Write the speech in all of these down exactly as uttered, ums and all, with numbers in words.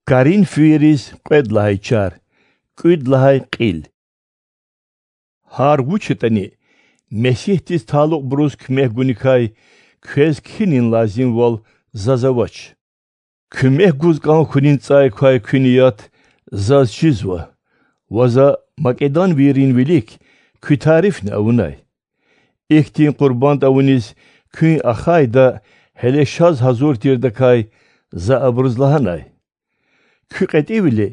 Коринфвийриз кьвед лагьай чар, кӀуьд лагьай кьил. Гьар вуч ятӀани, Месигьдиз талукьбуруз куьмек гуникай квез кхьинин лазимвал заз авач. Куьмек гуз кӀан хьунин цӀай квай куь ният заз чизва ва за македонвийрин вилик куь тарифни авунай. Ихьтин къурбанд авуниз куьн ахъайда, гьеле шаз гьазур тирдакай за абуруз лагьанай: куь кьетӀивили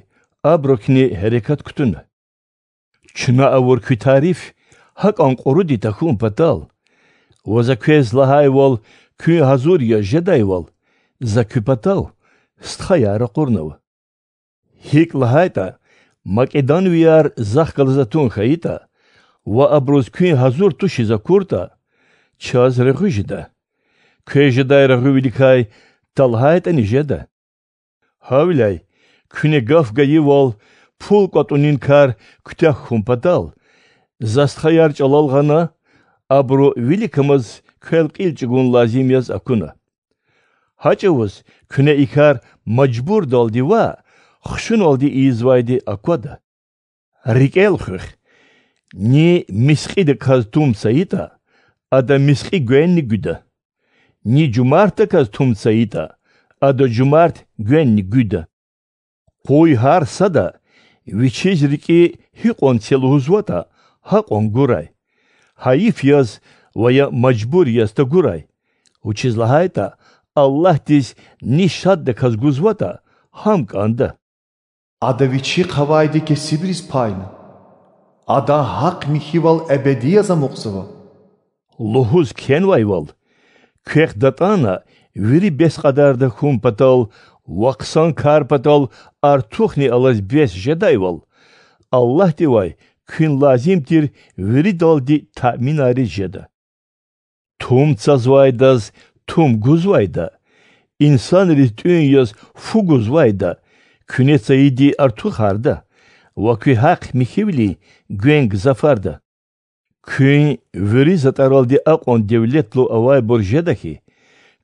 абурукни гьерекат кутуна. Чна авур куь тариф гьакӀан кьуруди тахьун патал ва за квез лагьайвал куьн гьазур яз жедайвал, за куь патав стхаяр ракъурнава. ГьикӀ лагьайтӀа, македонвияр захъ галаз атун хьайитӀа ва абуруз куьн гьазур тушиз акуртӀа, чаз регъуь жеда. Квез жедай регъуьвиликай талгьайтӀани жеда. Гьавиляй, куьне гаф гайивал, пул кӀватӀунин кар куьтягь хьун патал, за стхаяр чӀалал гъана, абуру виликамаз квел кьил чӀугун лазим яз акуна. Гьа чӀавуз куьне и кар мажбурдалди ваъ, хушуналди ийизвайди аквада. РикӀел хуьх: ни мискьидаказ тум цайитӀа, ада мискьи гвенни гуьда, ни жумартдаказ тум цайитӀа, ада жумарт гвенни гуьда. Къуй гьар сада вичиз рикӀи гьикьван це лугьузватӀа, гьакьван гурай, гьайиф яз ва я мажбур яз тагурай, вучиз лагьайтӀа Аллагьдиз ни шаддаказ гузватӀа, гьам кӀанда. Ада Вичихъ авайди кесибриз пайна, Адан гьахъ-михьивал эбеди яз амукьзава лугьуз кхьенвайвал, квехъ датӀана вири бес кьадарда хьун патал ва хъсан кар патал артухни алаз бес жедайвал, Аллагьдивай куьн лазим тир виридалди таъминарриз жеда. Тум цазвайдаз тум гузвайда, инсанриз тӀуьн яз фу гузвайда, куьне цайиди артухарда ва куь гьахъ-михьивилин гвен гзафарда. Куьн вири затӀаралди акьван девлетлу авайбур жеда хьи,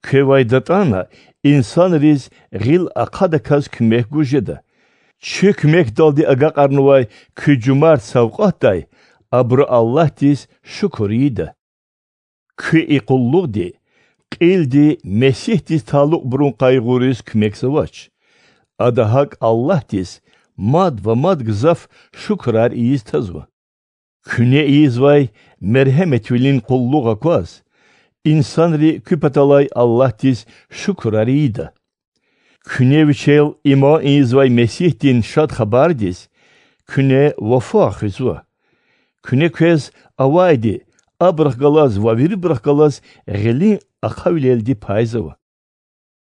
квевай датӀана инсанриз гъил ахъадаказ куьмек гуз жеда. Чи куьмекдалди агакьарнавай куь жумарт савкьватдай абуру Аллагьдиз шукур ийида. Куь и къуллугъди кьилди Месигьдиз талукьбурун къайгъуриз куьмекзавач. Ада гьакӀ Аллагьдиз мад ва мад гзаф шукурар ийиз тазва. Куьне ийизвай мергьеметвилин къуллугъ акваз, инсанри куь паталай Аллагьдиз шукурар ийида. Куьне Вичел иман ийизвай Месигьдин Шад Хабардиз куьне вафа хуьзва. Куьне квез авайди абурухъ галаз ва вирибурухъ галаз гъилин ахъавилелди пайзава.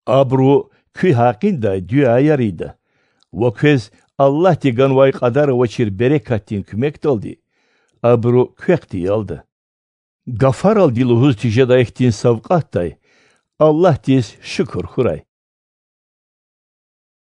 Абуру куь гьакъиндай дуьаяр ийида ва квез Аллагьди ганвай кьадар авачир берекатдин куьмекдалди абуру квехъ диялда. Гафаралди лугьуз тежедай хьтин савкьватдай Аллагьдиз шукур хьурай.